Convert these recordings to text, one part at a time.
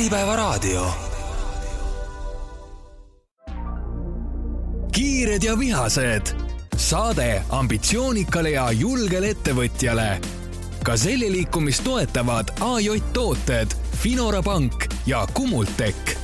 Äripäevaraadio. Kiired ja vihased. Saade ambitsioonikale ja julgele ettevõtjale. Gazelli liikumist toetavad AJ Tooted, Finora Pank ja Kumultek.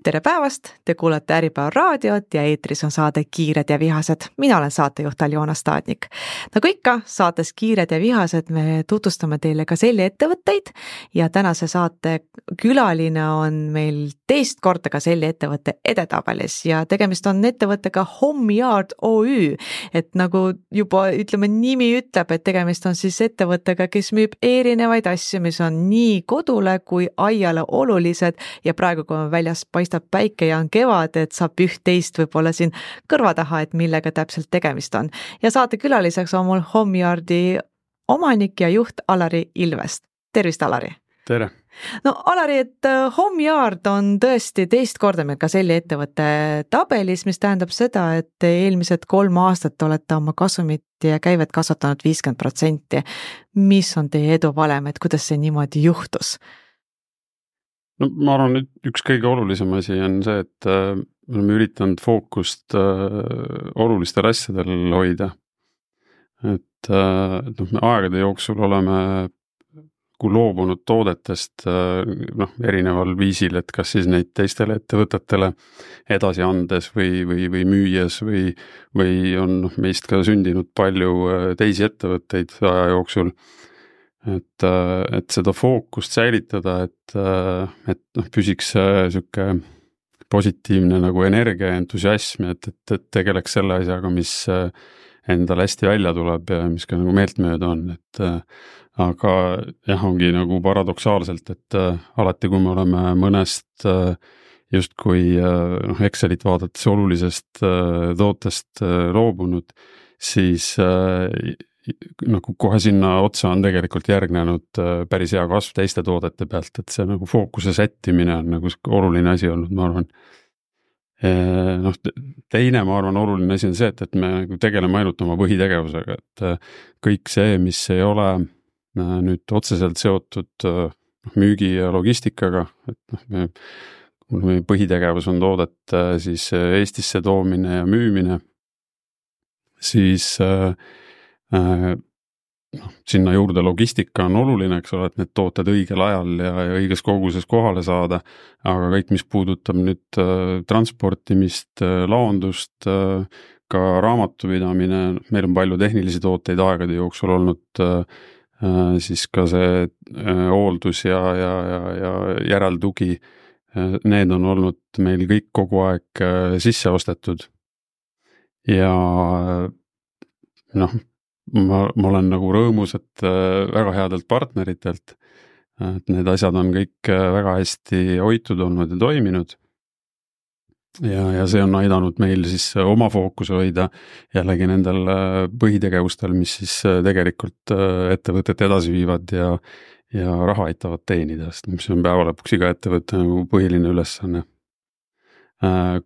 Tere päevast, te kuulate Äripäevaraadiot ja eetris on saade Kiired ja vihased. Mina olen saatejuht Aljona Staadnik. Nagu ikka, saates Kiired ja vihased me tutvustame teile Gazelli ettevõtteid ja tänase saate külaline on meil teist korda Gazelli ettevõtte edetabelis ja tegemist on ettevõttega Homeyard OÜ. Et nagu juba nimi ütleb, et tegemist on siis ettevõttega, kes müüb erinevaid asju, mis on nii kodule kui aiale olulised ja praegu, kui me väljas paistab päike ja on kevad, et saab üht-teist võib-olla siin kõrva taha, et millega täpselt tegemist on. Ja saate külaliseks on mul Homeyardi omanik ja juht Alari Ilvest. Tervist, Alari! Tere! No Alari, et Homeyard on tõesti teist korda meil Gazelli ettevõtte tabelis, mis tähendab seda, et eelmised 3 aastat olete oma kasumit ja käivet kasvatanud 50%. Mis on teie edu valem, et kuidas see niimoodi juhtus? No ma arvan, et üks kõige olulisem asi on see, et me oleme üritanud fookust olulistel asjadel hoida. Et me aegade jooksul oleme loobunud toodetest erineval viisil, et kas siis neid teistele ettevõtetele edasi andes või müües või on meist ka sündinud palju teisi ettevõtteid aja jooksul. Et seda fookust säilitada, et püsiks siuke positiivne nagu energia ja entusiasm, et tegeleks selle asjaga, mis endal hästi välja tuleb ja mis ka nagu meeltmööda on, aga jah, ongi nagu paradoksaalselt, et alati kui me oleme mõnest justkui Excelit vaadates olulisest tootest loobunud, siis nagu kohe sinna otsa on tegelikult järgnenud päris hea kasv teiste toodete pealt, et see nagu fookuse sättimine on nagu oluline asi olnud, ma arvan. Teine, ma arvan, oluline asi on see, et me nagu tegeleme ainult oma põhitegevusega, et kõik see, mis ei ole nüüd otseselt seotud müügi ja logistikaga, et meie põhitegevus on toodet siis Eestisse toomine ja müümine, siis sinna juurde logistika on oluline, eks ole, et need tooted õigel ajal ja õiges koguses kohale saada, aga kõik, mis puudutab nüüd transportimist, laondust, ka raamatupidamine, meil on palju tehnilisi tooteid aegade jooksul olnud, siis ka see hooldus ja järeltugi, need on olnud meil kõik kogu aeg sisse ostetud ja ma olen nagu rõõmus, et väga headelt partneritelt, et need asjad on kõik väga hästi hoitud olnud ja toiminud ja see on aidanud meil siis oma fookuse hoida jällegi nendel põhitegevustel, mis siis tegelikult ettevõtet edasi viivad ja raha aitavad teenida, mis on päeva lõpuks iga ettevõtte nagu põhiline ülesanne.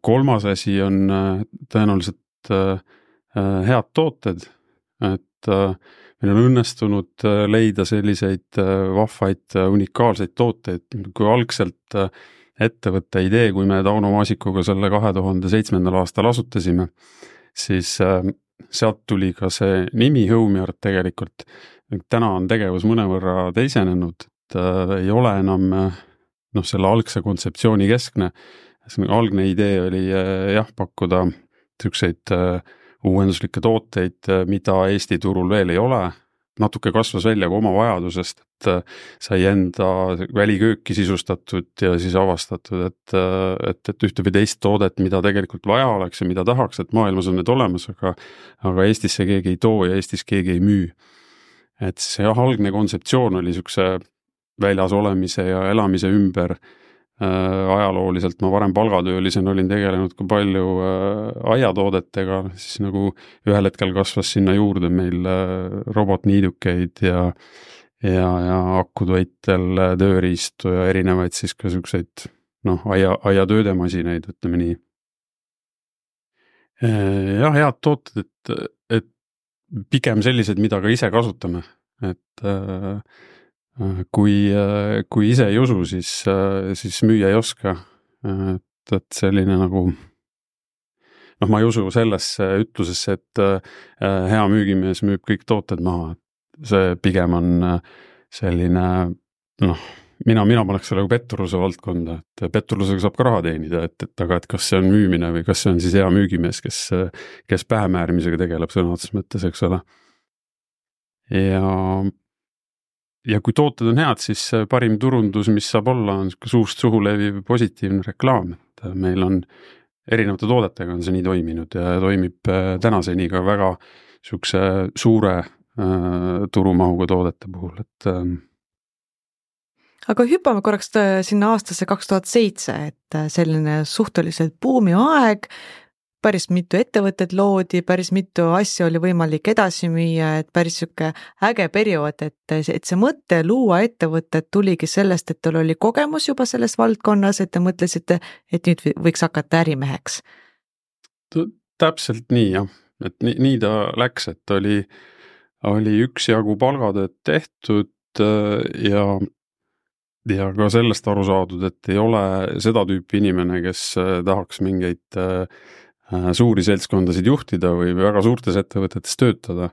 Kolmas asi on tõenäoliselt head tooted, et meil on õnnestunud leida selliseid vahvaid, unikaalseid tooteid, kui algselt ettevõtte idee, kui me Tauno Maasikuga selle 2007. aastal asutasime, siis sealt tuli ka see nimi Homeyard tegelikult. Täna on tegevus mõnevõrra teisenenud, et ei ole enam selle algse kontseptsiooni keskne. Algne idee oli pakkuda selliseid uuenduslikke tooteid, mida Eesti turul veel ei ole. Natuke kasvas välja ka oma vajadusest, et sai enda välikööki sisustatud ja siis avastatud, et ühte või teist toodet, mida tegelikult vaja oleks ja mida tahaks, et maailmas on need olemas, aga Eestisse keegi ei too ja Eestis keegi ei müü. Et see algne kontseptsioon oli niisuguse väljas olemise ja elamise ümber. Ajalooliselt ma varem palgatöölisena olin tegelenud ka palju aiatoodetega, siis nagu ühel hetkel kasvas sinna juurde meil robotniidukeid ja akutoitel tööriistu ja erinevaid siis ka niisuguseid aiatöödemasinaid, ütleme nii. Jah, head tooted, et pigem sellised, mida ka ise kasutame, et kui ise ei usu, siis müüa ei oska. Et selline nagu ma ei usu sellesse ütlusesse, et hea müügimees müüb kõik tooted maha. See pigem on selline, mina paneks selle petturluse valdkonda, et petturlusega saab ka raha teenida, aga kas see on müümine või kas see on siis hea müügimees, kes pähemäärmisega tegeleb sõna otseses mõttes, eks ole. Ja kui tooted on head, siis parim turundus, mis saab olla, on suust suhu leviv positiivne reklaam, et meil on erinevate toodetega on see nii toiminud ja toimib tänaseni ka väga sihukese suure turumahuga toodete puhul, et aga hüppame korraks sinna aastasse 2007, et selline suhteliselt buumi aeg, päris mitu ettevõtted loodi, päris mitu asja oli võimalik edasi müüa, et päris sihuke äge periood, et see mõte luua ettevõtted tuligi sellest, et teil oli kogemus juba selles valdkonnas, et te mõtlesite, et nüüd võiks hakata ärimeheks. Täpselt nii, jah. Et nii ta läks, et oli üksjagu palgatööd tehtud ja ka sellest aru saadud, et ei ole seda tüüpi inimene, kes tahaks mingeid suuri seltskondasid juhtida või väga suurtes ettevõtetes töötada.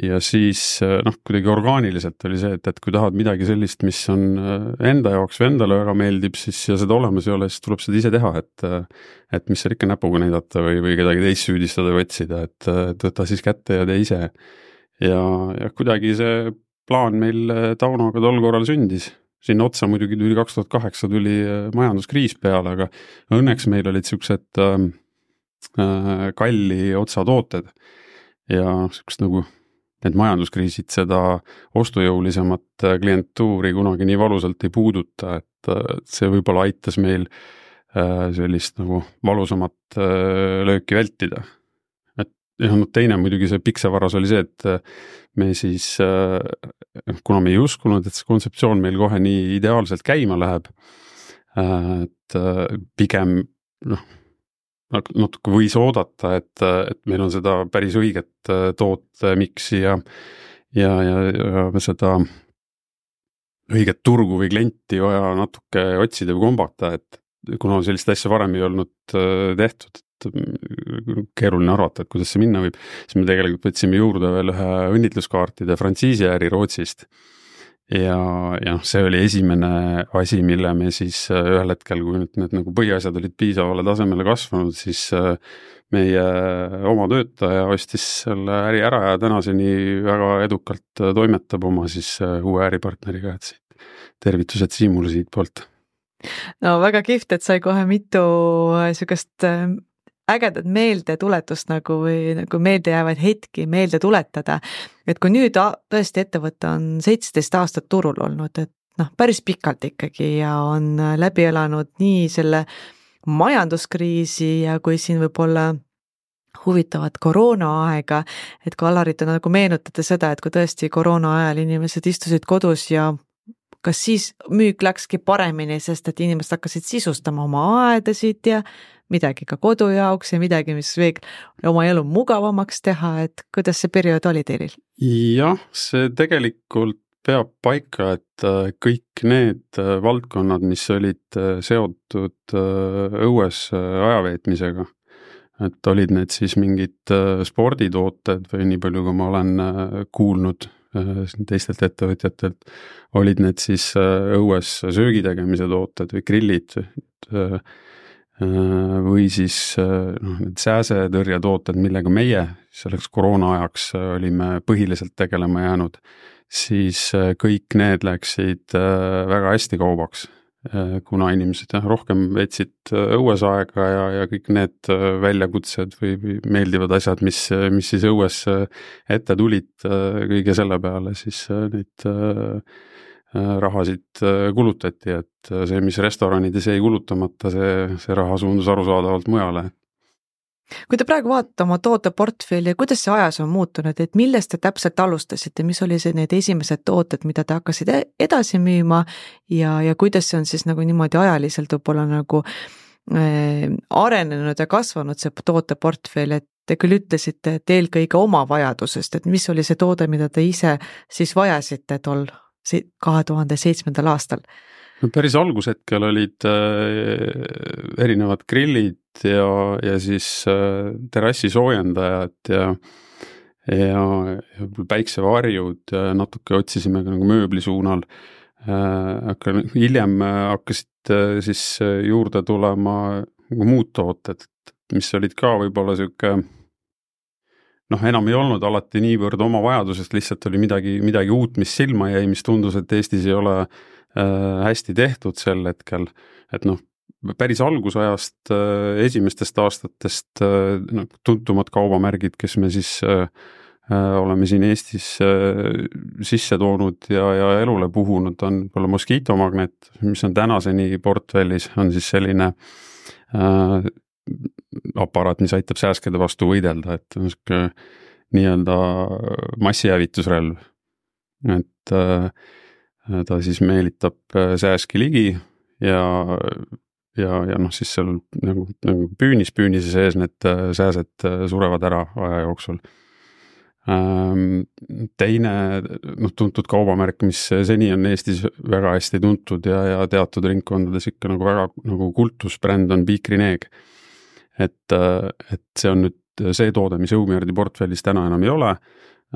Ja siis kuidagi orgaaniliselt oli see, et kui tahad midagi sellist, mis on enda jaoks või endale väga meeldib, siis ja seda olemas ei ole, siis tuleb seda ise teha, et mis seal ikka näpuga näidata või kedagi teist süüdistada või otsida, et võta siis kätte ja tee ise. Ja kuidagi see plaan meil Taunoga tol korral sündis. Siin otsa muidugi 2008 tuli majanduskriis peale, aga õnneks meil olid siuksed kalli otsatooted ja siukest nagu need majanduskriisid seda ostujõulisemat klientuuri kunagi nii valusalt ei puuduta, et see võib-olla aitas meil sellist nagu valusamat lööki vältida. Ja teine muidugi see piksavaras oli see, et me siis, kuna me ei uskunud, et see kontseptsioon meil kohe nii ideaalselt käima läheb, et pigem natuke võis oodata, et meil on seda päris õiget tootmiksi ja seda õiget turgu või klienti vaja natuke otsida või kombata, et kuna sellist asja varem ei olnud tehtud, keeruline arvata, et kuidas see minna võib, siis me tegelikult võtsime juurde veel ühe õnnitluskaartide frantsiisiäri Rootsist ja see oli esimene asi, mille me siis ühel hetkel, kui need nagu põhiasjad olid piisavale tasemele kasvanud, siis meie oma töötaja ostis selle äri ära ja tänaseni väga edukalt toimetab oma siis uue äripartneriga, et siit tervitused Siimule siit poolt. No väga kihvt, et sai kohe mitu sükast ägedat meeldetuletust nagu või nagu meeldejäävaid hetki meelde tuletada. Et kui nüüd tõesti ettevõte on 17 aastat turul olnud, et päris pikalt ikkagi ja on läbi elanud nii selle majanduskriisi ja kui siin võib-olla huvitavat koroonaaega, et kui Alarit on nagu meenutada seda, et kui tõesti koroona ajal inimesed istusid kodus ja kas siis müük läkski paremini, sest et inimesed hakkasid sisustama oma aedasid ja midagi ka kodu jaoks ja midagi, mis veel oma elu mugavamaks teha, et kuidas see periood oli teil? Jah, see tegelikult peab paika, et kõik need valdkonnad, mis olid seotud õues ajaveetmisega, et olid need siis mingid sporditooted või nii palju, kui ma olen kuulnud teistelt ettevõtjatelt, olid need siis õues söögitegemise tooted või grillid või siis need sääsetõrjetooted, millega meie selleks koroona ajaks olime põhiliselt tegelema jäänud, siis kõik need läksid väga hästi kaubaks, kuna inimesed rohkem veetsid õues aega ja kõik need väljakutsed või meeldivad asjad, mis siis õues ette tulid kõige selle peale, siis neid rahasid kulutati, et see, mis restoranides jäi kulutamata, see raha suundus arusaadavalt mujale. Kui te praegu vaatate oma tooteportfelli, kuidas see ajas on muutunud, et millest te täpselt alustasite, mis oli see need esimesed tooted, mida te hakkasite edasi müüma ja kuidas see on siis nagu niimoodi ajaliselt võib-olla nagu arenenud ja kasvanud see tooteportfell, et te küll ütlesite, et eelkõige oma vajadusest, et mis oli see toode, mida te ise siis vajasite 2007. aastal? No päris algushetkel olid erinevad grillid ja siis terrassi soojendajad ja päiksevarjud ja natuke otsisime ka nagu mööbli suunal. Aga hiljem hakkasid siis juurde tulema muud tooted, mis olid ka võib-olla siuke, enam ei olnud alati niivõrd oma vajadusest, lihtsalt oli midagi uut, mis silma jäi, mis tundus, et Eestis ei ole hästi tehtud sel hetkel, et päris algusajast esimestest aastatest tuntumad kaubamärgid, kes me siis oleme siin Eestis sisse toonud ja elule puhunud, on võib-olla Mosquito Magnet, mis on tänaseni portfellis, on siis selline aparaat, mis aitab sääskede vastu võidelda, et on siuke nii-öelda massihävitusrelv, et ta siis meelitab sääski ligi ja siis seal nagu püünise sees need sääsed surevad ära aja jooksul. Teine tuntud kaubamärk, mis seni on Eestis väga hästi tuntud ja teatud ringkondades ikka nagu väga nagu kultusbränd on Bikrineeg. Et see on nüüd see toode, mis Õumjärdi portfellis täna enam ei ole,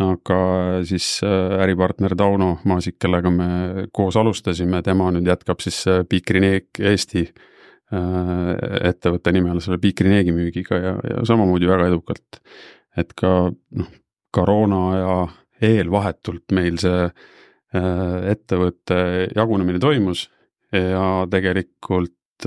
aga siis äripartner Tauno Maasik, kellega me koos alustasime, tema nüüd jätkab siis Bikrineeg Eesti ettevõtte nimel selle Bikrineegi müügiga ja samamoodi väga edukalt, et ka koroona ja eelvahetult meil see ettevõtte jagunemine toimus ja tegelikult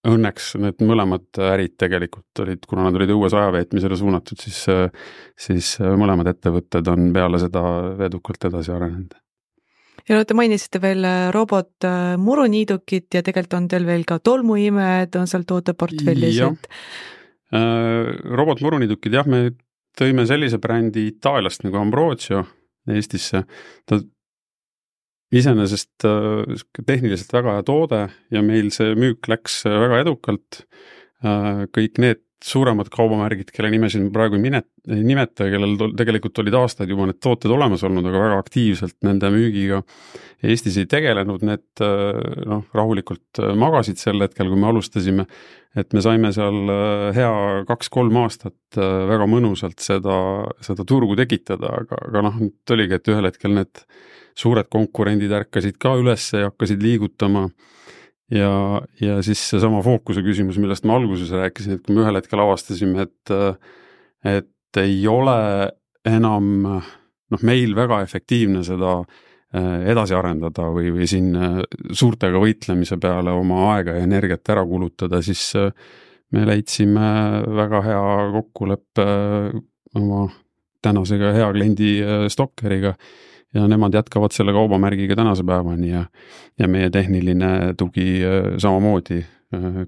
õnneks need mõlemad ärid tegelikult olid, kuna nad olid õues ajaveetmisele suunatud, siis mõlemad ettevõtted on peale seda edukalt edasi arenenud. Ja te mainisite veel robot muruniidukit ja tegelikult on teil veel ka tolmuimed, on seal tooteportfellis. Robot muruniidukid, jah, me tõime sellise brändi Itaaliast nagu Ambrosio Eestisse. Ta iseenesest tehniliselt väga hea toode ja meil see müük läks väga edukalt. Kõik need suuremad kaubamärgid, kelle nimesid praegu ei nimeta, kellel tegelikult olid aastaid juba need tooted olemas olnud, aga väga aktiivselt nende müügiga Eestis ei tegelenud, need rahulikult magasid sel hetkel, kui me alustasime, et me saime seal hea 2-3 aastat väga mõnusalt seda turgu tekitada, aga nüüd oligi, et ühel hetkel need suured konkurendid ärkasid ka üles ja hakkasid liigutama ja siis see sama fookuse küsimus, millest ma alguses rääkisin, et kui me ühel hetkel avastasime, et ei ole enam meil väga efektiivne seda edasi arendada või siin suurtega võitlemise peale oma aega ja energiat ära kulutada, siis me leidsime väga hea kokkuleppe oma tänasega hea kliendi Stokkeriga ja nemad jätkavad selle kaubamärgiga tänase päevani ja meie tehniline tugi samamoodi,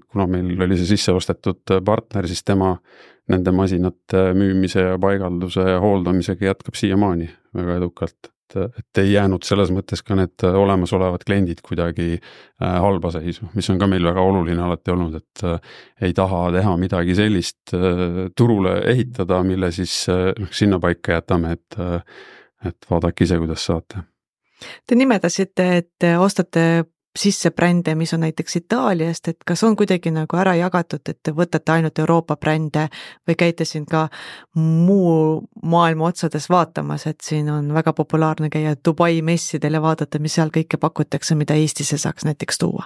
kuna meil oli see sisse ostetud partner, siis tema nende masinate müümise ja paigalduse ja hooldamisega jätkab siiamaani väga edukalt, et ei jäänud selles mõttes ka need olemasolevad kliendid kuidagi halba seisu, mis on ka meil väga oluline alati olnud, et ei taha teha midagi sellist turule ehitada, mille siis sinna paika jätame, et vaadake ise, kuidas saate. Te nimetasite, et ostate sisse brände, mis on näiteks Itaaliast, et kas on kuidagi nagu ära jagatud, et te võtate ainult Euroopa brände või käite siin ka muu maailma otsades vaatamas, et siin on väga populaarne käia Dubai messidel ja vaadata, mis seal kõike pakutakse, mida Eestisse saaks näiteks tuua?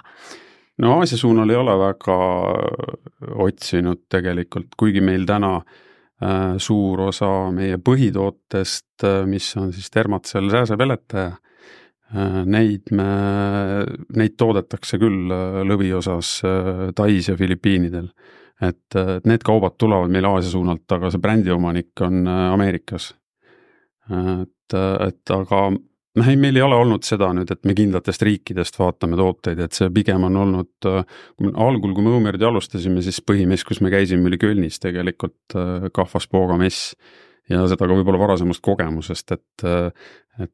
No Aasia suunal ei ole väga otsinud tegelikult, kuigi meil täna suur osa meie põhitootest, mis on siis Thermacell sääsepeletaja, neid toodetakse küll lõviosas Tais ja Filipiinidel. Et need kaubad tulevad meil Aasia suunalt, aga see brändiomanik on Ameerikas. Aga meil ei ole olnud seda nüüd, et me kindlatest riikidest vaatame tooteid, et see pigem on olnud, algul kui me Õumjärdi alustasime, siis põhimess, kus me käisime, oli Kölnis tegelikult Kahvaspooga mess ja seda ka võib-olla varasemast kogemusest, et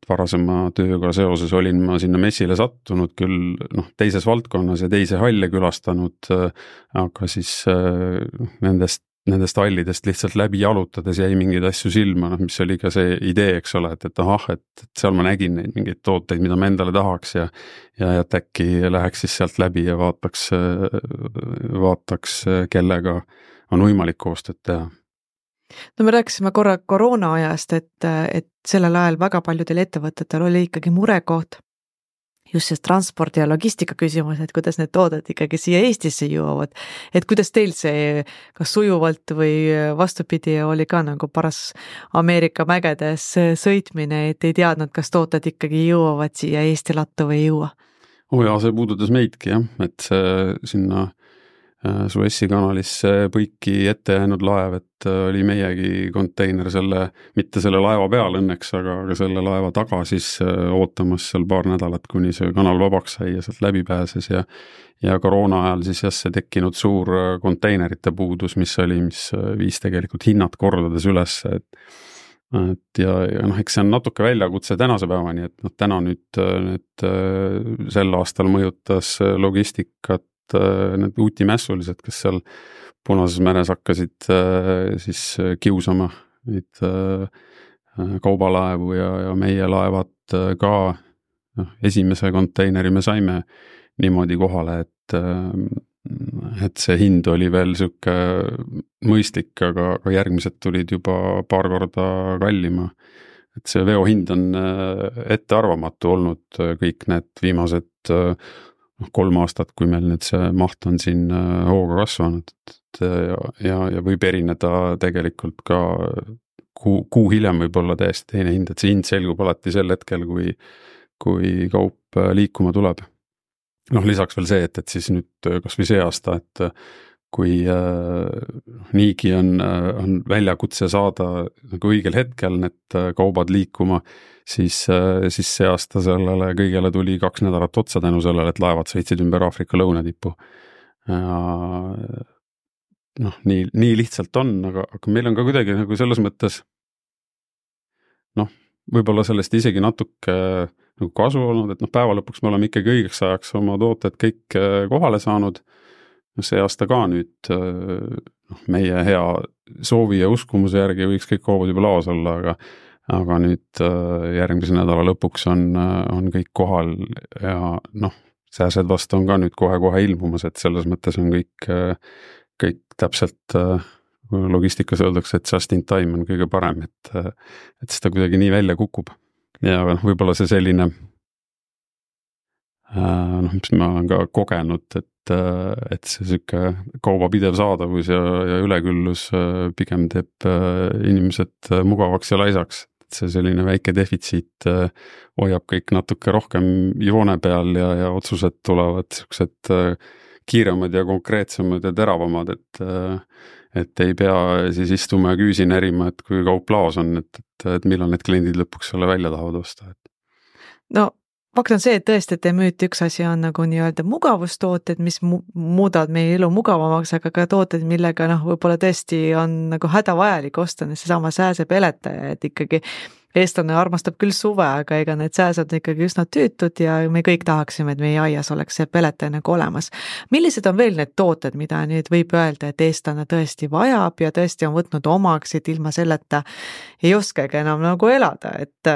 varasema tööga seoses olin ma sinna messile sattunud küll teises valdkonnas ja teise halle külastanud, aga siis nendest nendest hallidest lihtsalt läbi jalutades jäi mingeid asju silma, mis oli ka see idee, eks ole, et seal ma nägin neid mingeid tooteid, mida ma endale tahaks ja et äkki läheks siis sealt läbi ja vaataks, kellega on võimalik koostööd teha. No me rääkisime korra koroona ajast, et sellel ajal väga paljudel ettevõtetel oli ikkagi murekoht just see transpordi ja logistika küsimus, et kuidas need tooted ikkagi siia Eestisse jõuavad, et kuidas teil see kas sujuvalt või vastupidi oli ka nagu paras Ameerika mägedes sõitmine, et ei teadnud, kas tooted ikkagi jõuavad siia Eesti lattu või ei jõua? See puudutas meidki jah, et see sinna Suessi kanalisse põiki ette jäänud laev, et oli meiegi konteiner mitte selle laeva peal õnneks, aga selle laeva taga siis ootamas seal paar nädalat, kuni see kanal vabaks sai ja sealt läbi pääses ja koroona ajal siis jah, see tekkinud suur konteinerite puudus, mis viis tegelikult hinnad kordades üles, et eks see on natuke väljakutse tänase päevani, et täna nüüd sel aastal mõjutas logistikat need uutimässulised, kes seal Punases meres hakkasid siis kiusama neid kaubalaevu ja meie laevad ka esimese konteineri me saime niimoodi kohale, et see hind oli veel siuke mõistlik, aga järgmised tulid juba paar korda kallima. Et see veohind on ettearvamatu olnud kõik need viimased 3 aastat, kui meil nüüd see maht on siin hooga kasvanud ja võib erineda tegelikult ka kuu hiljem võib olla täiesti teine hind, et see hind selgub alati sel hetkel, kui kaup liikuma tuleb. Lisaks veel see, et siis nüüd kas või see aasta, et kui niigi on väljakutse saada nagu õigel hetkel need kaubad liikuma, siis see aasta sellele kõigele tuli 2 nädalat otsa tänu sellele, et laevad sõitsid ümber Aafrika lõunatipu. Nii lihtsalt on, aga meil on ka kuidagi nagu selles mõttes võib-olla sellest isegi natuke nagu kasu olnud, et päeva lõpuks me oleme ikkagi õigeks ajaks oma tooted kõik kohale saanud. See aasta ka nüüd meie hea soovi ja uskumuse järgi võiks kõik kaubad juba laos olla, aga nüüd järgmise nädala lõpuks on kõik kohal ja sääsed vastu on ka nüüd kohe ilmumas, et selles mõttes on kõik täpselt logistikas öeldakse, et just in time on kõige parem, et seda kuidagi nii välja kukub. Ja võib-olla see selline, mis ma olen ka kogenud, et see süke kauba pidev saadavus ja üleküllus pigem teeb inimesed mugavaks ja laisaks. See selline väike defitsiit hoiab kõik natuke rohkem joone peal ja otsused tulevad siuksed kiiremad ja konkreetsemad ja teravamad, et ei pea siis istuma ja küüsi närima, et kui kaup laos on, et millal need kliendid lõpuks selle välja tahavad osta. No fakt on see, et tõesti, et te müüte üks asi on nagu nii-öelda mugavustooted, mis muudavad meie elu mugavamaks, aga ka tooted, millega võib-olla tõesti on nagu hädavajalik osta, seesama sääsepeletaja, et ikkagi eestlane armastab küll suve, aga ega need sääsed on ikkagi üsna tüütud ja me kõik tahaksime, et meie aias oleks see peletaja nagu olemas. Millised on veel need tooted, mida nüüd võib öelda, et eestlane tõesti vajab ja tõesti on võtnud omaks, et ilma selleta ei oskagi enam nagu elada, et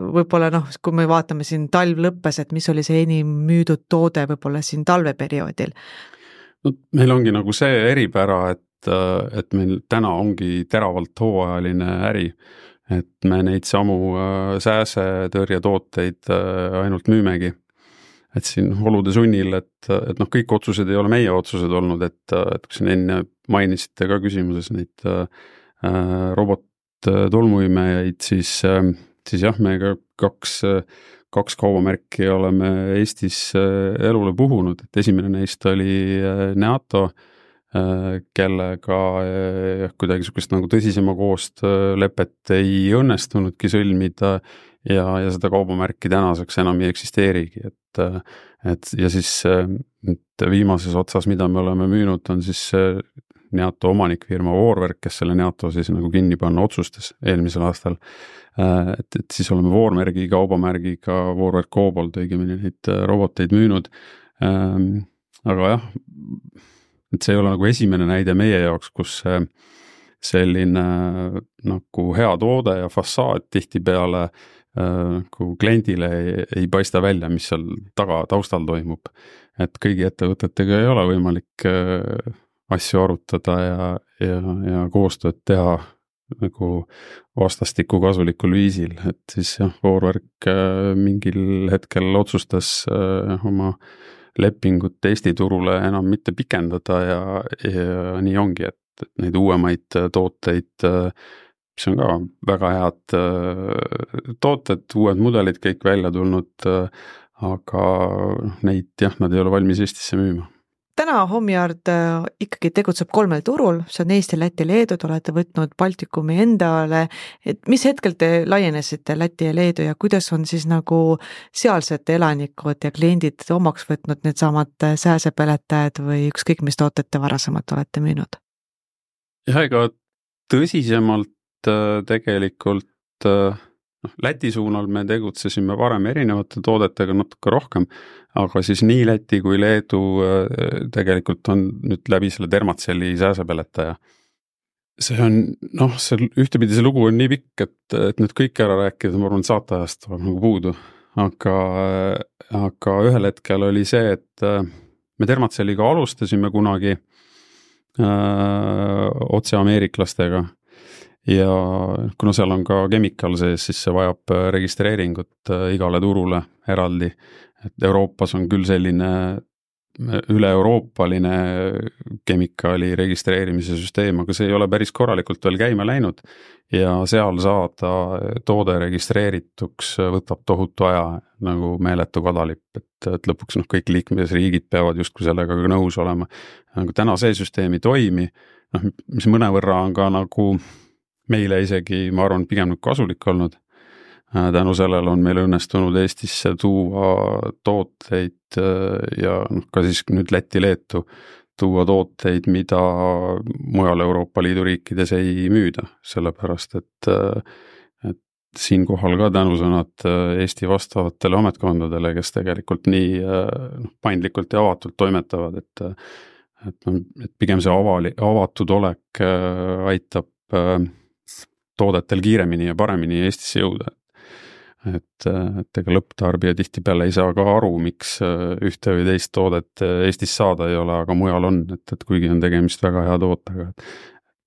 võib-olla kui me vaatame siin talv lõppes, et mis oli see enim müüdud toode võib-olla siin talveperioodil? Meil ongi nagu see eripära, et meil täna ongi teravalt hooajaline äri, et me neid samu sääsetõrjetooteid ainult müümegi. Et siin olude sunnil, et kõik otsused ei ole meie otsused olnud, et kui siin enne mainisite ka küsimuses neid robot-tolmuimejaid, siis jah, me ka kaks kaubamärki oleme Eestis elule puhunud, et esimene neist oli Neato, kellega kuidagi sukest nagu tõsisema koostöölepet ei õnnestunudki sõlmida ja seda kaubamärki tänaseks enam ei eksisteerigi, et ja siis viimases otsas, mida me oleme müünud, on siis Neato omanikfirma Voorwerk, kes selle Neato siis nagu kinni panna otsustas eelmisel aastal, et siis oleme Voormergi kaubamärgiga Voorwerk Cobalt õigemini neid roboteid müünud, aga jah, et see ei ole nagu esimene näide meie jaoks, kus selline nagu hea toode ja fassaad tihtipeale kui kliendile ei paista välja, mis seal taustal toimub. Et kõigi ettevõtetega ei ole võimalik asju arutada ja koostööd teha nagu vastastikku kasulikul viisil, et siis Voorwerk mingil hetkel otsustas oma lepingut Eesti turule enam mitte pikendada ja nii ongi, et neid uuemaid tooteid, mis on ka väga head tooted, uued mudelid kõik välja tulnud, aga neid nad ei ole valmis Eestisse müüma. Täna Homyard ikkagi tegutseb 3 turul, see on Eesti, Läti, Leedu, te olete võtnud Baltikumi endale, et mis hetkel te laienesite Läti ja Leedu ja kuidas on siis nagu sealsed elanikud ja kliendid omaks võtnud need samad sääsepeletajad või ükskõik mis tooted te varasemalt olete müünud? Ja ega tõsisemalt tegelikult Läti suunal me tegutsesime varem erinevate toodetega natuke rohkem, aga siis nii Läti kui Leedu tegelikult on nüüd läbi selle Dermatcelli sääsepeletaja. See on, ühtepidi see lugu on nii pikk, et nüüd kõik ära rääkida, ma arvan, saateajast tuleb nagu puudu, aga ühel hetkel oli see, et me Dermatcelliga alustasime kunagi otse ameeriklastega. Ja kuna seal on ka chemical sees, siis see vajab registreeringut igale turule eraldi, et Euroopas on küll selline üle-euroopaline chemicali registreerimise süsteem, aga see ei ole päris korralikult veel käima läinud ja seal saada toode registreerituks võtab tohutu aja nagu meeletu kadalipp, et lõpuks kõik liikmesriigid peavad justkui sellega ka nõus olema. Nagu täna see süsteem ei toimi, mis mõnevõrra on ka nagu meile isegi, ma arvan, pigem kasulik olnud. Tänu sellele on meil õnnestunud Eestisse tuua tooteid ja ka siis nüüd Läti-Leetu tuua tooteid, mida mujal Euroopa Liidu riikides ei müüda, sellepärast et siinkohal ka tänusõnad Eesti vastavatele ametkondadele, kes tegelikult nii paindlikult ja avatult toimetavad, et pigem see avatud olek aitab toodetel kiiremini ja paremini Eestisse jõuda. Et ega lõpptarbija tihtipeale ei saa ka aru, miks ühte või teist toodet Eestis saada ei ole, aga mujal on, et kuigi on tegemist väga hea tootega.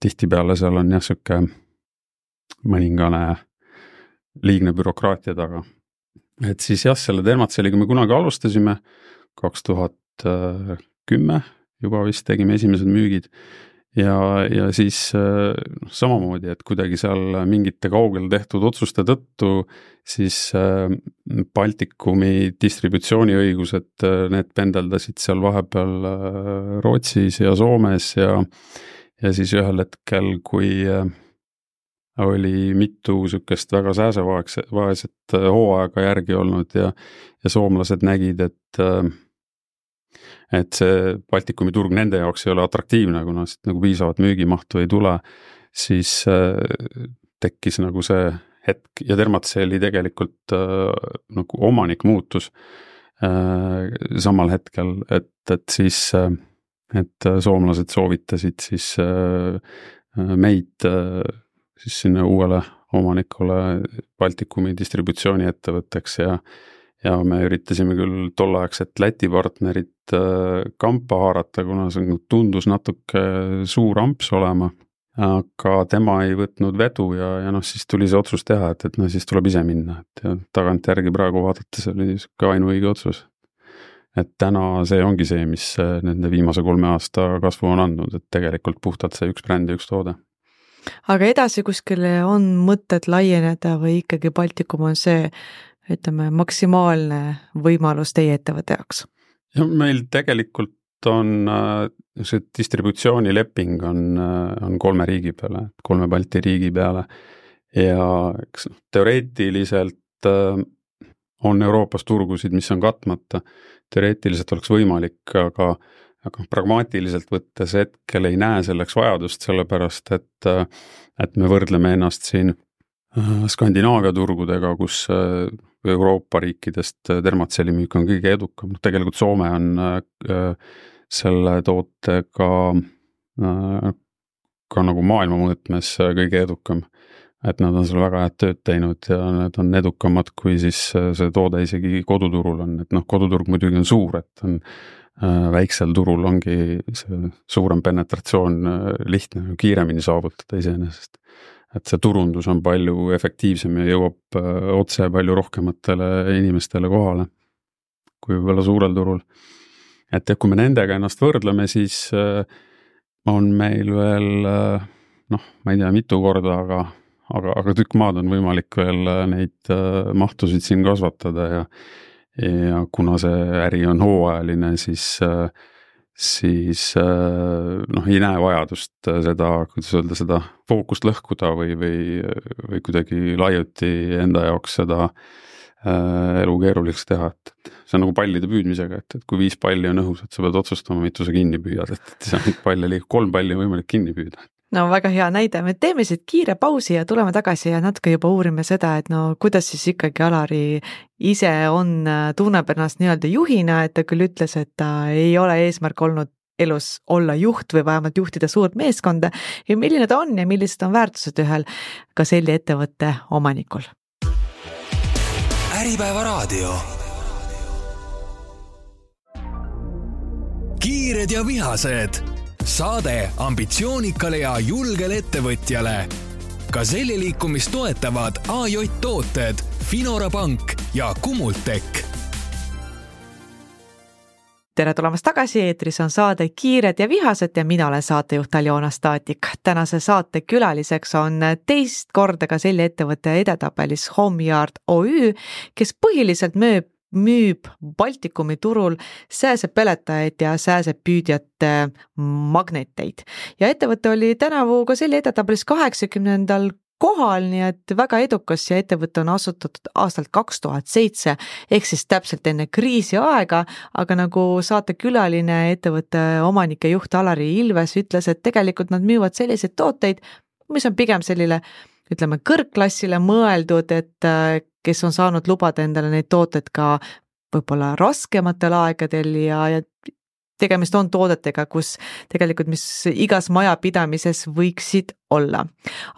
Tihtipeale seal on siuke mõningane liigne bürokraatia taga. Et siis selle Dermatcelliga me kunagi alustasime, 2010 juba vist tegime esimesed müügid. Ja siis samamoodi, et kuidagi seal mingite kaugel tehtud otsuste tõttu siis Baltikumi distributsiooniõigused, need pendeldasid seal vahepeal Rootsis ja Soomes ja siis ühel hetkel, kui oli mitu sükest väga sääsevaeset hooaega järgi olnud ja soomlased nägid, et see Baltikumi turg nende jaoks ei ole atraktiivne, kuna siit nagu piisavat müügimahtu ei tule, siis tekkis nagu see hetk ja Dermatcelli tegelikult nagu omanik muutus samal hetkel, et siis et soomlased soovitasid siis meid siis sinna uuele omanikule Baltikumi distributsiooni ettevõtteks ja me üritasime küll tolleaegset Läti partnerit kampa haarata, kuna see tundus natuke suur amps olema, aga tema ei võtnud vedu ja siis tuli see otsus teha, et siis tuleb ise minna, ja tagant järgi praegu vaadates oli ka ainuõige otsus. Et täna see ongi see, mis nende viimase 3 aasta kasvu on andnud, et tegelikult puhtalt see üks bränd ja üks toode. Aga edasi kuskile on mõtted laieneda või ikkagi Baltikum on see, ütleme, maksimaalne võimalus teie ettevõtte jaoks? Ja meil tegelikult on see distributsioonileping on 3 riigi peale, 3 Balti riigi peale ja teoreetiliselt on Euroopas turgusid, mis on katmata. Teoreetiliselt oleks võimalik, aga pragmaatiliselt võttes hetkel ei näe selleks vajadust, sellepärast et me võrdleme ennast siin Skandinaavia turgudega, kus Euroopa riikidest Dermatcelli müük on kõige edukam. Tegelikult Soome on selle tootega ka nagu maailma mõõtmes kõige edukam. Et nad on seal väga head tööd teinud ja need on edukamad, kui siis see toode isegi koduturul on, et noh, koduturg muidugi on suur, et on väiksel turul ongi see suurem penetratsioon lihtne, kiiremini saavutada iseenesest. Et see turundus on palju efektiivsem ja jõuab otse palju rohkematele inimestele kohale kui võib-olla suurel turul. Et kui me nendega ennast võrdleme, siis on meil veel noh, ma ei tea mitu korda, aga tükk maad on võimalik veel neid mahtusid siin kasvatada ja kuna see äri on hooajaline, siis noh, ei näe vajadust seda, kuidas öelda, seda fookust lõhkuda või kuidagi laiuti enda jaoks seda elu keeruliseks teha, et see on nagu pallide püüdmisega, et kui 5 palli on õhus, et sa peed otsustama, mitu sa kinni püüad, et see on palle liiga, 3 palli on võimalik kinni püüda. No väga hea näide, me teeme siit kiire pausi ja tuleme tagasi ja natuke juba uurime seda, et no kuidas siis ikkagi Alari ise tunneb ennast nii-öelda juhina, et ta küll ütles, et ta ei ole eesmärk olnud elus olla juht või vähemalt juhtida suurt meeskonda ja milline ta on ja millised on väärtused ühel Gazelli ettevõtte omanikul. Äripäeva raadio. Kiired ja vihased. Saade ambitsioonikale ja julgele ettevõtjale. Gazelli liikumist toetavad AJ Tooted, Finora Pank ja Kumultek. Tere tulemast tagasi, eetris on saade Kiired ja vihased ja mina olen saatejuht Aljona Staatnik. Tänase saate külaliseks on teist korda Gazelli ettevõtte edetabelis Homeyard OÜ, kes põhiliselt müüb Baltikumi turul sääsepeletajaid ja sääsepüüdjate magneteid. Ja ettevõte oli tänavu Gazelli edetabelis 80. kohal, nii et väga edukas ja ettevõte on asutatud aastalt 2007, ehk siis täpselt enne kriisi aega, aga nagu saate külaline ettevõtte omanike juht Alari Ilves ütles, et tegelikult nad müüvad selliseid tooteid, mis on pigem sellile, ütleme, kõrgklassile mõeldud, et kes on saanud lubada endale neid tooteid ka võib-olla raskematel aegadel ja tegemist on toodetega, kus tegelikult, mis igas majapidamises võiksid olla.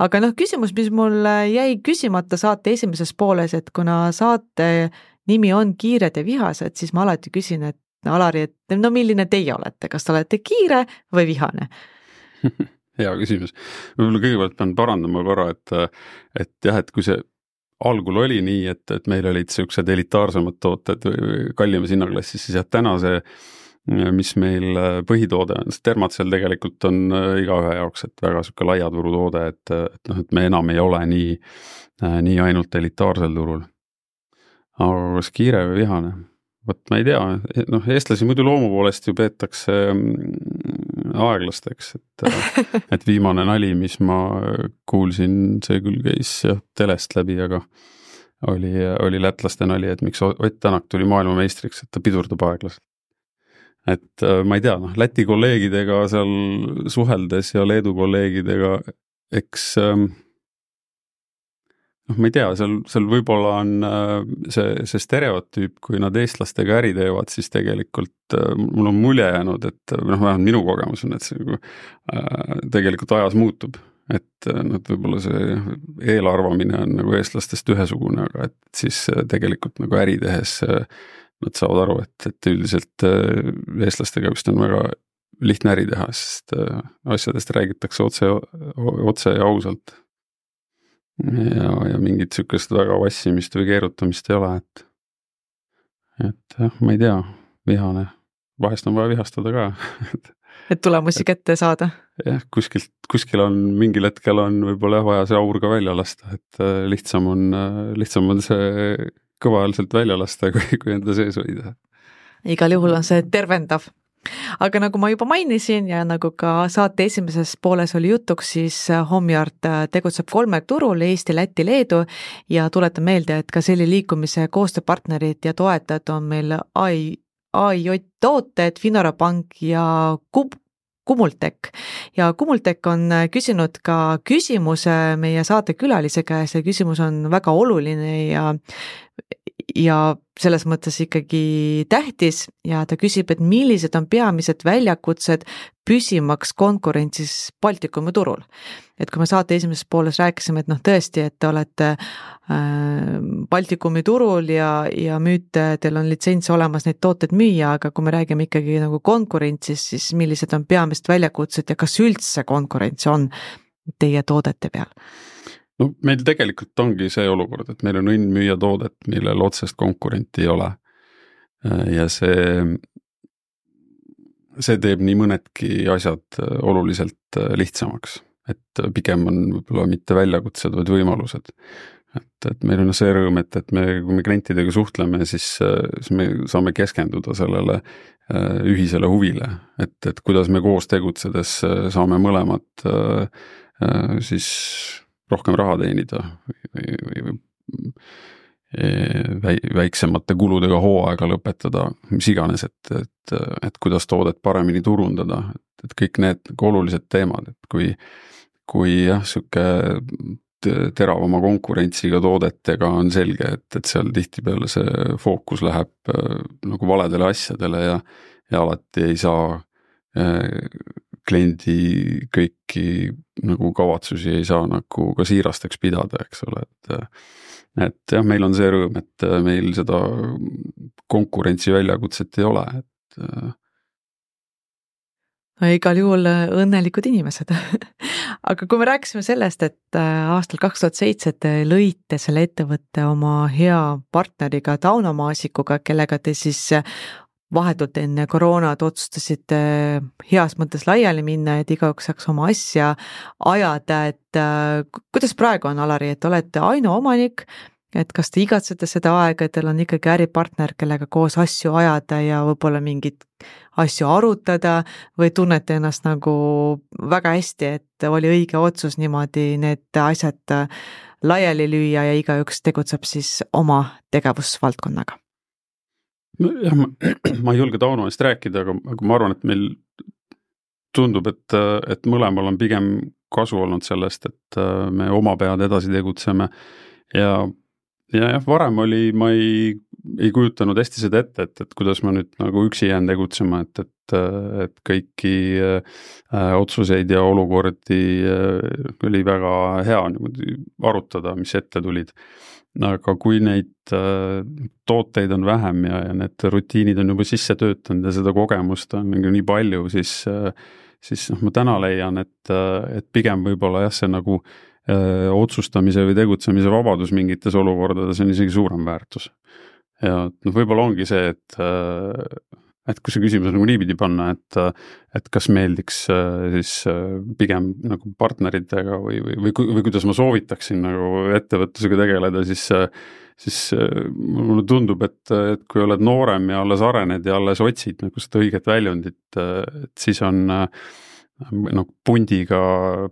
Aga noh, küsimus, mis mul jäi küsimata saate esimeses pooles, et kuna saate nimi on Kiired ja vihased, siis ma alati küsin, et Alari, et no milline teie olete, kas te olete kiire või vihane? Hea küsimus. Võib-olla kõigepealt pean parandama korra, et jah, et kui see algul oli nii, et meil olid sellised elitaarsemad tooted kallimas hinnaklassis, siis jah, täna see mis meil põhitoode on, see Termacell tegelikult on igaühe jaoks, et väga selline laia turutoode, et me enam ei ole nii ainult elitaarsel turul. Aga kas kiire või vihane? Võt ma ei tea, noh, eestlasi muidu loomu poolest ju peetakse aeglasteks, et viimane nali, mis ma kuulsin, see küll käis telest läbi, aga oli lätlaste nali, et miks Ott Tänak tuli maailmameistriks, et ta pidurdab aeglaselt. Et ma ei tea, noh, Läti kolleegidega seal suheldes ja Leedu kolleegidega, eks ma ei tea, seal võib-olla on see stereotüüp, kui nad eestlastega äri teevad, siis tegelikult mul on mulje jäänud, et vähemalt minu kogemus on, et see tegelikult ajas muutub. Et võib-olla see eelarvamine on nagu eestlastest ühesugune, aga et siis tegelikult nagu äri tehes nad saavad aru, et üldiselt eestlastega vist on väga lihtne äri teha, sest asjadest räägitakse otse ja ausalt. Ja mingit sükest väga vassimist või keerutamist ei ole, et jah, ma ei tea, vihane. Vahest on vaja vihastada ka. Et tulemusi kätte saada. Jah, kuskil on, mingil hetkel on võib-olla vaja see aur ka välja lasta, et lihtsam on see kõvaäälselt välja lasta, kui enda sees hoida. Igal juhul on see tervendav. Aga nagu ma juba mainisin ja nagu ka saate esimeses pooles oli jutuks, siis Homeyard tegutseb 3 turul, Eesti, Läti, Leedu ja tuletan meelde, et ka selle liikumise koostööpartnerid ja toetajad on meil AJ Tooted, Finora Pank ja Kumultek. Ja Kumultek on küsinud ka küsimuse meie saate külalise käes ja küsimus on väga oluline ja selles mõttes ikkagi tähtis ja ta küsib, et millised on peamised väljakutsed püsimaks konkurentsis Baltikumi turul. Et kui me saate esimeses pooles rääkisime, et tõesti, et te olete Baltikumi turul ja müüte, teil on litsents olemas neid tooteid müüa, aga kui me räägime ikkagi nagu konkurentsis, siis millised on peamised väljakutsed ja kas üldse konkurents on teie toodete peal? No meil tegelikult ongi see olukord, et meil on õnn müüa toodet, millel otsest konkurenti ei ole. Ja see teeb nii mõnedki asjad oluliselt lihtsamaks, et pigem on võib-olla mitte väljakutsed, vaid võimalused. Et meil on see rõõm, et kui me klientidega suhtleme, siis me saame keskenduda sellele ühisele huvile, et kuidas me koos tegutsedes saame mõlemad siis rohkem raha teenida või väiksemate kuludega hooaega lõpetada, mis iganes, et kuidas toodet paremini turundada, et kõik need olulised teemad, et kui jah, siuke teravama konkurentsiga toodetega on selge, et seal tihtipeale see fookus läheb nagu valedele asjadele ja alati ei saa kliendi kõiki nagu kavatsusi ei saa nagu ka siirasteks pidada, eks ole, et jah, meil on see rõõm, et meil seda konkurentsi väljakutset ei ole, et no igal juhul õnnelikud inimesed. Aga kui me rääkisime sellest, et aastal 2007 te lõite selle ettevõtte oma hea partneriga Tauno Maasikuga, kellega te siis vahetult enne koroonad otsustasite heas mõttes laiali minna, et igaüks saaks oma asja ajada, et kuidas praegu on, Alari, et olete ainuomanik, et kas te igatsete seda aega, et teil on ikkagi äripartner, kellega koos asju ajada ja võib-olla mingit asju arutada või tunnete ennast nagu väga hästi, et oli õige otsus niimoodi need asjad laiali lüüa ja igaüks tegutseb siis oma tegevusvaldkonnaga? Jah, ma ei julge Tauno eest rääkida, aga ma arvan, et meil tundub, et mõlemal on pigem kasu olnud sellest, et me oma pead edasi tegutseme ja jah, varem ma ei kujutanud hästi seda ette, et kuidas ma nüüd nagu üksi jään tegutsema, et kõiki otsuseid ja olukordi oli väga hea arutada, mis ette tulid. Aga kui neid tooteid on vähem ja need rutiinid on juba sisse töötanud ja seda kogemust on nii palju, siis ma täna leian, et pigem võib-olla jah, see nagu otsustamise või tegutsemise vabadus mingites olukordades on isegi suurem väärtus. Ja võib-olla ongi see, et kui see küsimus nagu niipidi panna, et kas meeldiks siis pigem nagu partneritega või kuidas ma soovitaksin nagu ettevõtlusega tegeleda, siis mulle tundub, et kui oled noorem ja alles arened ja alles otsid nagu seda õiget väljundit, et siis on pundiga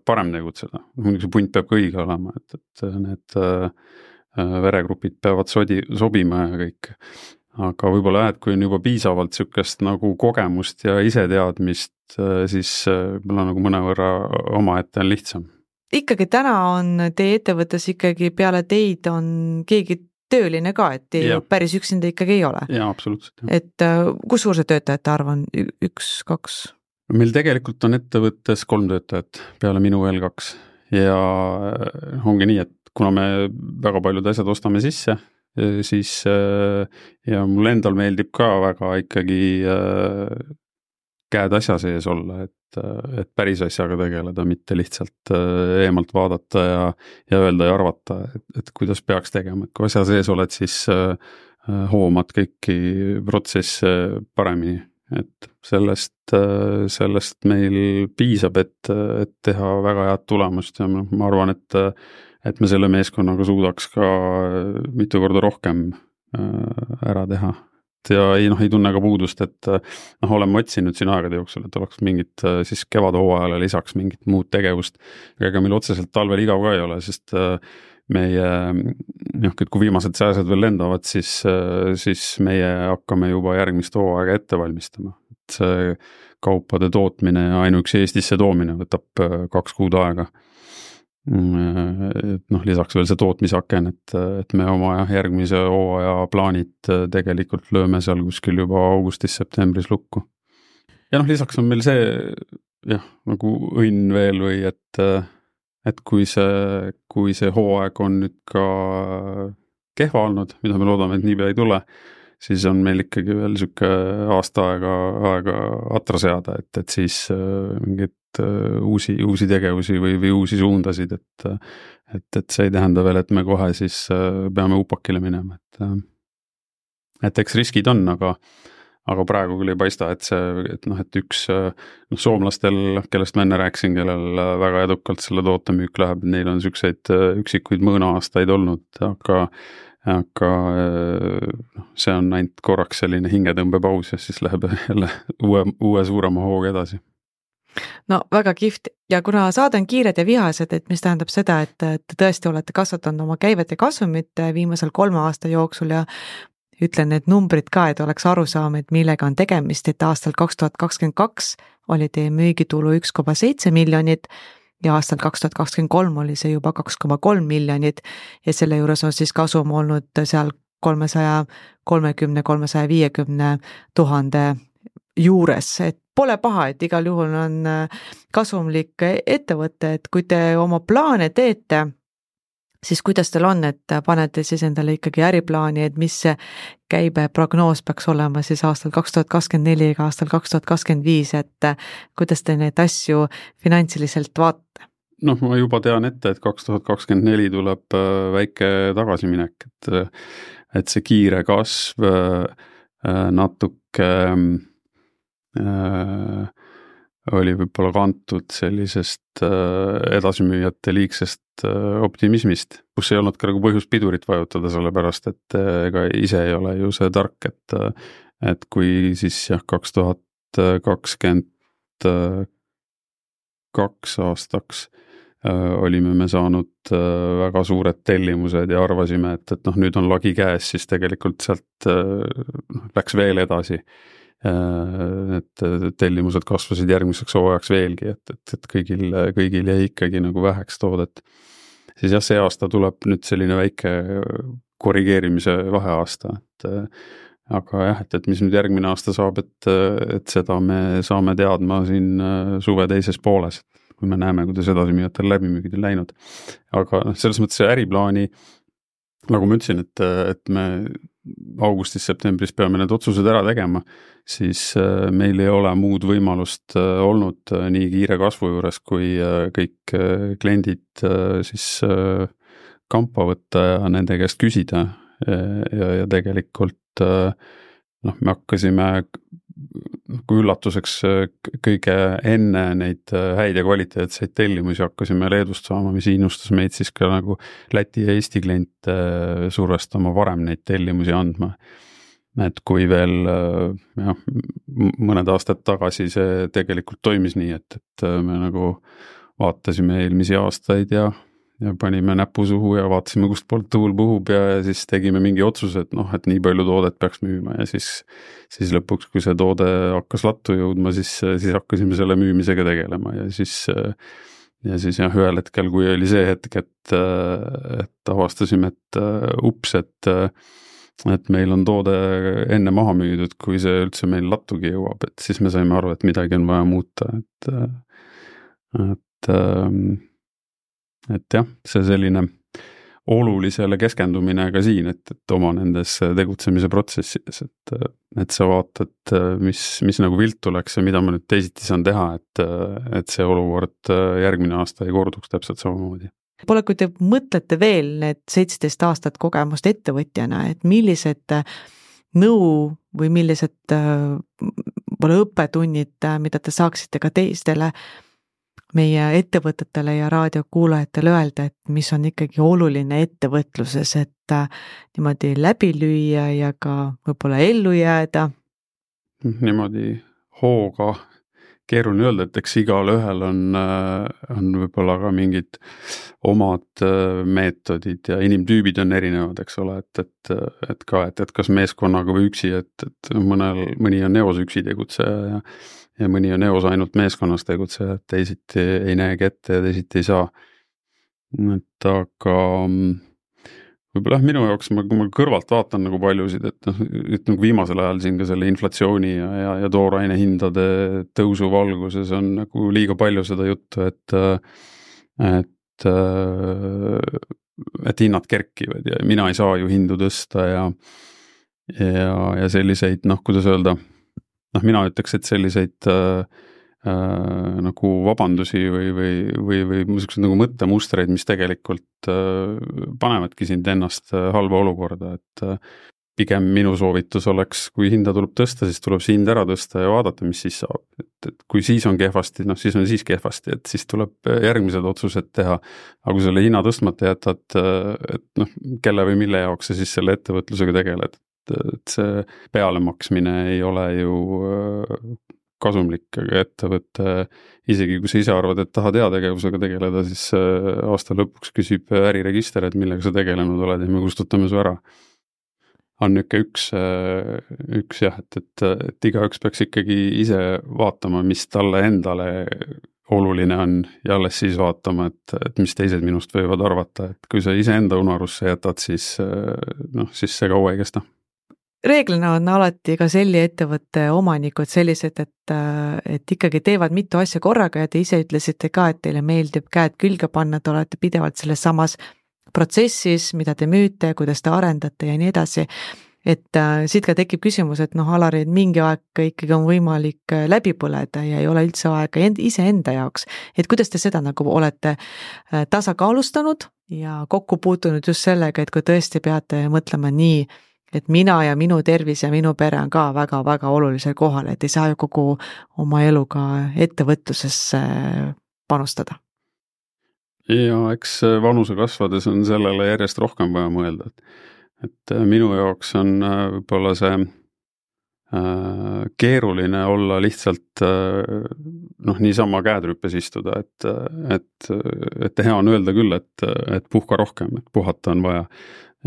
parem tegutseda. See punt peab ka õige olema, et need veregrupid peavad sobima ja kõik. Aga võib-olla et kui on juba piisavalt sükest nagu kogemust ja iseteadmist, siis võib-olla nagu mõnevõrra omaette on lihtsam. Ikkagi täna on teie ettevõttes ikkagi peale teid on keegi tööline ka, et teie päris üksinda ikkagi ei ole. Jaa, absoluutselt. Et kus suur see töötajate arv on? 1, 2? Meil tegelikult on ettevõttes 3 töötajat peale minu veel 2 ja ongi nii, et kuna me väga paljud asjad ostame sisse, siis ja mul endal meeldib ka väga ikkagi käed asja sees olla, et päris asjaga tegeleda, mitte lihtsalt eemalt vaadata ja öelda ja arvata, et kuidas peaks tegema, et kui asja sees oled, siis hoomad kõiki protsesse paremini, et sellest meil piisab, et teha väga head tulemust ja ma arvan, et me selle meeskonnaga suudaks ka mitu korda rohkem ära teha. Ja ei tunne ka puudust, et oleme otsinud siin aegade jooksul, et oleks mingit siis kevadhooajale lisaks mingit muud tegevust. Ega meil otseselt talvel igav ka ei ole, sest meie, kui viimased sääsed veel lendavad, siis meie hakkame juba järgmist hooaega ette valmistama. Et see kaupade tootmine ja ainuüksi Eestisse toomine võtab 2 kuud aega. lisaks veel see tootmisaken, et me oma järgmise hooaja plaanid tegelikult lööme seal kuskil juba augustis-septembris lukku. Ja lisaks on meil see nagu õnn veel või et kui see hooaeg on nüüd ka kehva olnud, mida me loodame, et niipea ei tule, siis on meil ikkagi veel siuke aasta aega atra seada, et siis mingid uusi tegevusi või uusi suundasid, et see ei tähenda veel, et me kohe siis peame upakile minema, et eks riskid on, aga praegu küll ei paista, et üks soomlastel, kellest ma enne rääkisin, kellel väga edukalt selle toote müük läheb, neil on siukseid üksikuid mõõna-aastaid olnud, aga see on ainult korraks selline hingetõmbepaus ja siis läheb jälle uue suurema hooga edasi. No väga kihvt ja kuna saade on kiired ja vihased, et mis tähendab seda, et te tõesti olete kasvatanud oma käivet ja kasumit viimasel 3 aasta jooksul ja ütlen need numbrid ka, et oleks aru saama, et millega on tegemist, et aastal 2022 oli teie müügitulu 1,7 miljonit ja aastal 2023 oli see juba 2,3 miljonit ja selle juures on siis kasum olnud seal 330-350 000 juures, et pole paha, et igal juhul on kasumlik ettevõte, et kui te oma plaane teete, siis kuidas teil on, et panete siis endale ikkagi äriplaani, et mis see käibeprognoos peaks olema siis aastal 2024 ja aastal 2025, et kuidas te neid asju finantsiliselt vaatate? Ma juba tean ette, et 2024 tuleb väike tagasiminek, et see kiire kasv natuke oli võib-olla kantud sellisest edasimüüjate liigsest optimismist, kus ei olnud ka nagu põhjust pidurit vajutada, sellepärast et ega ise ei ole ju see tark, et kui siis 2022 aastaks olime me saanud väga suured tellimused ja arvasime, et nüüd on lagi käes, siis tegelikult sealt läks veel edasi. Et tellimused kasvasid järgmiseks hooajaks veelgi, et kõigil jäi ikkagi nagu väheks toodet. Siis see aasta tuleb nüüd selline väike korrigeerimise vaheaasta, aga et mis nüüd järgmine aasta saab, et seda me saame teadma siin suve teises pooles, kui me näeme, kuidas edasimüüjatel läbimüügid on läinud. Aga selles mõttes see äriplaani, nagu ma ütlesin, et me augustis-septembris peame need otsused ära tegema, siis meil ei ole muud võimalust olnud nii kiire kasvu juures, kui kõik kliendid siis kampa võtta ja nende käest küsida ja tegelikult me hakkasime kui üllatuseks kõige enne neid häid ja kvaliteetseid tellimusi hakkasime Leedust saama, mis innustas meid siis ka nagu Läti ja Eesti kliente survestama varem neid tellimusi andma. Et kui veel mõned aastad tagasi see tegelikult toimis nii, et me nagu vaatasime eelmisi aastaid ja panime näpu suhu ja vaatasime, kust poolt tuul puhub ja siis tegime mingi otsuse, et nii palju toodet peaks müüma ja siis lõpuks, kui see toode hakkas lattu jõudma, siis hakkasime selle müümisega tegelema ja siis ühel hetkel, kui oli see hetk, et avastasime, et ups, et meil on toode enne maha müüdud, kui see üldse meil lattugi jõuab, et siis me saime aru, et midagi on vaja muuta, et jah, see selline olulisele keskendumine ka siin, et oma nendes tegutsemise protsessides, et sa vaatad, mis nagu viltu läks ja mida ma nüüd teisiti saan teha, et see olukord järgmine aasta ei korduks täpselt samamoodi. Pole, kui te mõtlete veel need 17 aastat kogemust ettevõtjana, et millised nõu või millised õppetunnid, mida te saaksite ka teistele meie ettevõtetele ja raadiokuulajatele öelda, et mis on ikkagi oluline ettevõtluses, et niimoodi läbi lüüa ja ka võib-olla ellu jääda? Niimoodi hooga keeruline öelda, et eks igal ühel on võib-olla ka mingid omad meetodid ja inimtüübid on erinevad, eks ole, et kas meeskonnaga või üksi, et mõni on eos üksi tegutseja ja mõni on eos ainult meeskonnas tegutseja, et teisiti ei näegi ette ja teisiti ei saa. et aga võib-olla minu jaoks, kui ma kõrvalt vaatan nagu paljusid, et nagu viimasel ajal siin ka selle inflatsiooni ja tooraine hindade tõusu valguses on nagu liiga palju seda juttu, et hinnad kerkivad ja mina ei saa ju hindu tõsta ja selliseid, kuidas öelda, mina ütleks, et selliseid nagu vabandusi või niisugused nagu mõttemustreid, mis tegelikult panevadki sind ennast halba olukorda, et pigem minu soovitus oleks, kui hinda tuleb tõsta, siis tuleb see hind ära tõsta ja vaadata, mis siis saab. Et kui siis on kehvasti, siis on siis kehvasti, et siis tuleb järgmised otsused teha. Aga kui selle hinna tõstmata jätad, et kelle või mille jaoks sa siis selle ettevõtlusega tegeled. Et see pealemaksmine ei ole ju kasumlik, aga ettevõtte, isegi kui sa ise arvad, et tahad heategevusega tegeleda, siis aasta lõpuks küsib äriregister, et millega sa tegelenud oled ja me kustutame su ära. On üks jah, et igaüks peaks ikkagi ise vaatama, mis talle endale oluline on ja alles siis vaatama, et mis teised minust võivad arvata, et kui sa ise enda unarusse jätad, siis see kaua ei kesta. Reeglina on alati ka selli ettevõtte omanikud sellised, et ikkagi teevad mitu asja korraga ja te ise ütlesite ka, et teile meeldib käed külge panna, te olete pidevalt selles samas protsessis, mida te müüte, kuidas te arendate ja nii edasi. Et siit ka tekib küsimus, et Alari, et mingi aeg ikkagi on võimalik läbi põleda ja ei ole üldse aega ise enda jaoks. Et kuidas te seda nagu olete tasakaalustanud ja kokku puutunud just sellega, et kui tõesti peate mõtlema nii, et mina ja minu tervis ja minu pere on ka väga-väga olulisel kohal, et ei saa ju kogu oma eluga ettevõtlusesse panustada. Ja eks vanuse kasvades on sellele järjest rohkem vaja mõelda, et minu jaoks on võib-olla see keeruline olla lihtsalt niisama käed rüppes istuda, et hea on öelda küll, et puhka rohkem, et puhata on vaja.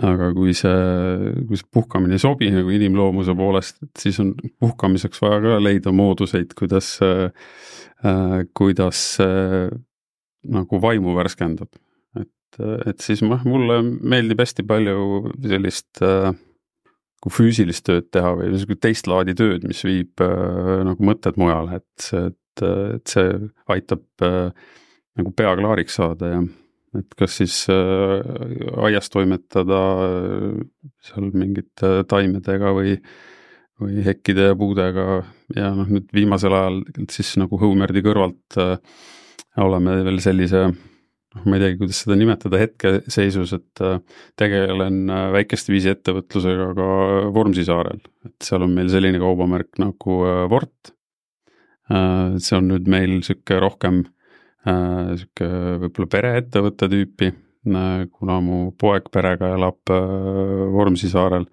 Aga kui see puhkamine ei sobi nagu inimloomuse poolest, et siis on puhkamiseks vaja ka leida mooduseid, kuidas nagu vaimu värskendab. Et siis mulle meeldib hästi palju sellist kui füüsilist tööd teha või teist laadi tööd, mis viib nagu mõtted mujale, et see aitab nagu pea klaariks saada ja et kas siis aias toimetada seal mingite taimedega või hekkide ja puudega ja nüüd viimasel ajal siis nagu Hõumerdi kõrvalt oleme veel sellise, ma ei teagi, kuidas seda nimetada hetkeseisus, et tegelen väikest viisi ettevõtlusega ka Vormsi saarel, et seal on meil selline kaubamärk nagu Vort. See on nüüd meil siuke rohkem võib-olla pereettevõtte tüüpi, kuna mu poeg perega elab Vormsi saarel,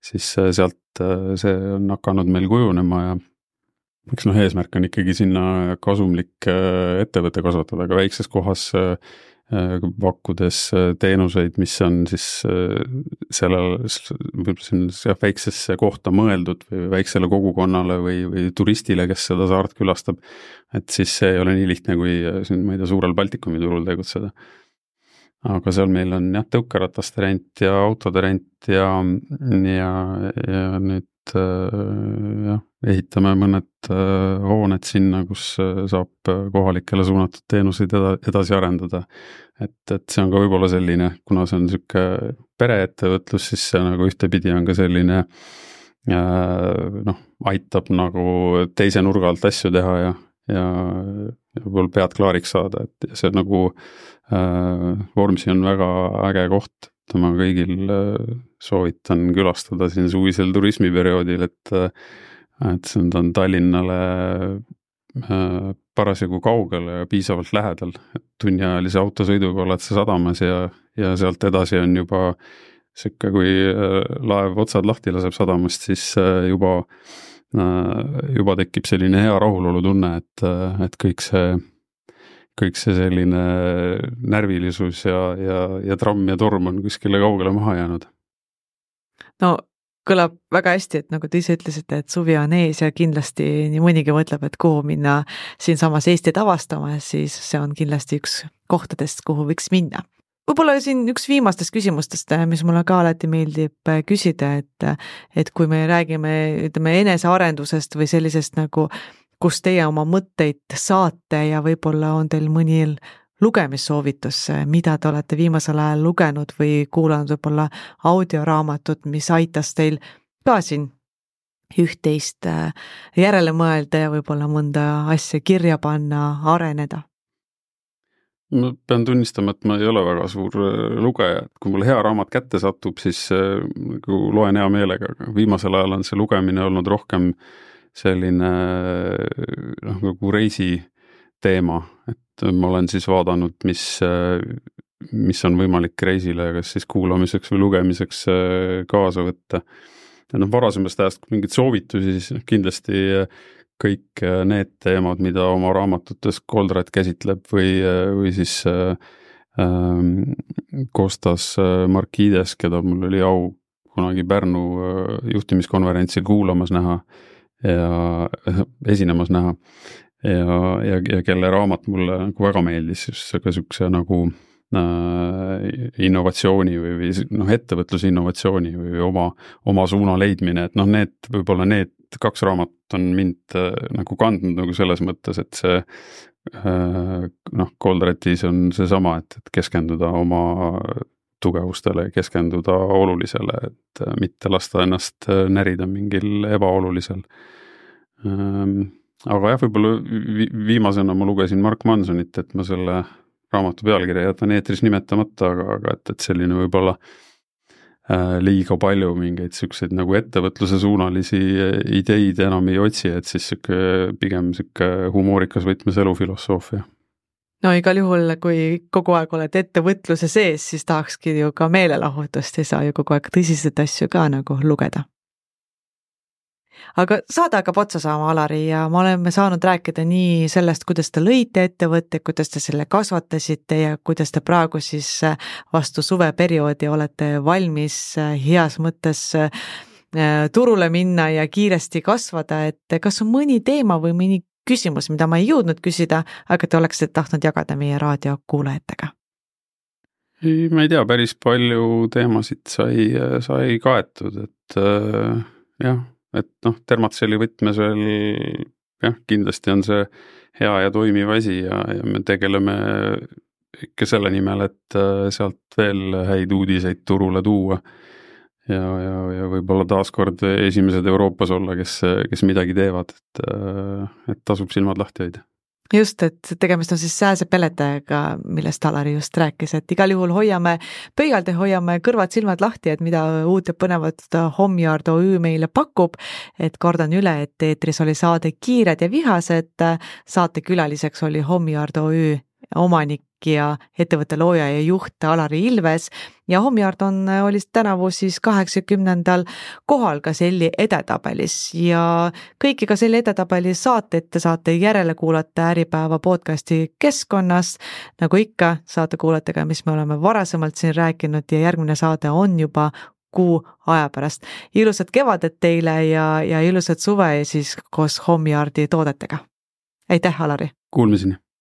siis sealt see on hakanud meil kujunema ja eks eesmärk on ikkagi sinna kasumlik ettevõte kasvatada, aga väikses kohas pakkudes teenuseid, mis on siis sellele väiksesse kohta mõeldud või väiksele kogukonnale või turistile, kes seda saart külastab, et siis see ei ole nii lihtne kui siin, ma ei tea, suurel Baltikumi turul tegutseda. Aga seal meil on jah, tõukerataste rent ja autode rent ja nüüd ehitame mõned hooned sinna, kus saab kohalikele suunatud teenuseid edasi arendada. Et see on ka võib-olla selline, kuna see on niisugune pereettevõtlus, siis see nagu ühtepidi on ka selline aitab nagu teise nurga alt asju teha ja võib-olla pead klaariks saada, et see nagu Vormsi on väga äge koht. Ma kõigil soovitan külastada siin suvisel turismiperioodil, et see on Tallinnale parasjagu kaugele ja piisavalt lähedal, et tunniajalise autosõiduga oled sa sadamas ja sealt edasi on juba siuke, kui laev otsad lahti laseb sadamast, siis juba tekib selline hea rahulolu tunne, et kõik see selline närvilisus ja tramm ja torm on kuskile kaugele maha jäänud. No kõlab väga hästi, et nagu te ise ütlesite, et suvi on ees ja kindlasti nii mõnigi mõtleb, et kuhu minna siinsamas Eestit avastama, siis see on kindlasti üks kohtadest, kuhu võiks minna. Võib-olla siin üks viimastest küsimustest, mis mulle ka alati meeldib küsida, et kui me räägime, ütleme, enesearendusest või sellisest nagu, kus teie oma mõtteid saate ja võib-olla on teil mõni lugemissoovitus, mida te olete viimasel ajal lugenud või kuulanud võib-olla audioraamatut, mis aitas teil ka siin üht-teist järele mõelda ja võib-olla mõnda asja kirja panna, areneda? Ma pean tunnistama, et ma ei ole väga suur lugeja, et kui mul hea raamat kätte satub, siis loen hea meelega, aga viimasel ajal on see lugemine olnud rohkem selline nagu reisi teema, et ma olen siis vaadanud, mis on võimalik reisile, kas siis kuulamiseks või lugemiseks kaasa võtta. Ja varasemast ajast mingid soovitusi, siis kindlasti kõik need teemad, mida oma raamatutes Goldratt käsitleb või siis Kostas Markides, keda mul oli au kunagi Pärnu juhtimiskonverentsil kuulamas näha ja esinemas näha ja kelle raamat mulle nagu väga meeldis, just ka sükse nagu innovatsiooni või ettevõtluse innovatsiooni või oma suuna leidmine, et need võib-olla need 2 raamatut on mind nagu kandnud nagu selles mõttes, et see Goldrattis on seesama, et keskenduda oma tugevustele, keskenduda olulisele, et mitte lasta ennast närida mingil ebaolulisel. Aga jah, võib-olla viimasena ma lugesin Mark Mansonit, et ma selle raamatu pealkirja jätan eetris nimetamata, aga et selline võib-olla liiga palju mingeid selliseid nagu ettevõtluse suunalisi ideid enam ei otsi, et siis pigem humoorikas võtmes elufilosoofia. No igal juhul, kui kogu aeg oled ettevõtluse sees, siis tahakski ju ka meelelahutust, ei saa ju kogu aeg tõsiseid asju ka nagu lugeda. Aga saade hakkab otsa saama, Alari, ja me oleme saanud rääkida nii sellest, kuidas te lõite ettevõtte, kuidas te selle kasvatasite ja kuidas te praegu siis vastu suveperioodi olete valmis heas mõttes turule minna ja kiiresti kasvada, et kas on mõni teema või mõni küsimus, mida ma ei jõudnud küsida, aga te oleksite tahtnud jagada meie raadiokuulajatega? Ma ei tea, päris palju teemasid sai kaetud, et jah, et Termatselli võtmes veel jah, kindlasti on see hea ja toimiv asi ja me tegeleme ikka selle nimel, et sealt veel häid uudiseid turule tuua ja võib-olla taaskord esimesed Euroopas olla, kes midagi teevad, et tasub silmad lahti hoida. Just, et tegemist on siis sääsepeletajaga, millest Alari just rääkis, et igal juhul hoiame pöialde, hoiame kõrvad silmad lahti, et mida uut ja põnevat Homyard OÜ meile pakub, et kordan üle, et eetris oli saade Kiired ja vihased, saate külaliseks oli Homyard OÜ omanik ja ettevõtte looja ja juht Alari Ilves ja Homyard oli tänavu siis 80. kohal Gazelli edetabelis ja kõiki Gazelli edetabeli saateid te saate järele kuulata Äripäeva podcasti keskkonnas. Nagu ikka, saate kuulata ka, mis me oleme varasemalt siin rääkinud ja järgmine saade on juba kuu aja pärast. Ilusat kevadet teile ja ilusat suve ja siis koos Homyardi toodetega. Aitäh, Alari! Kuulmiseni!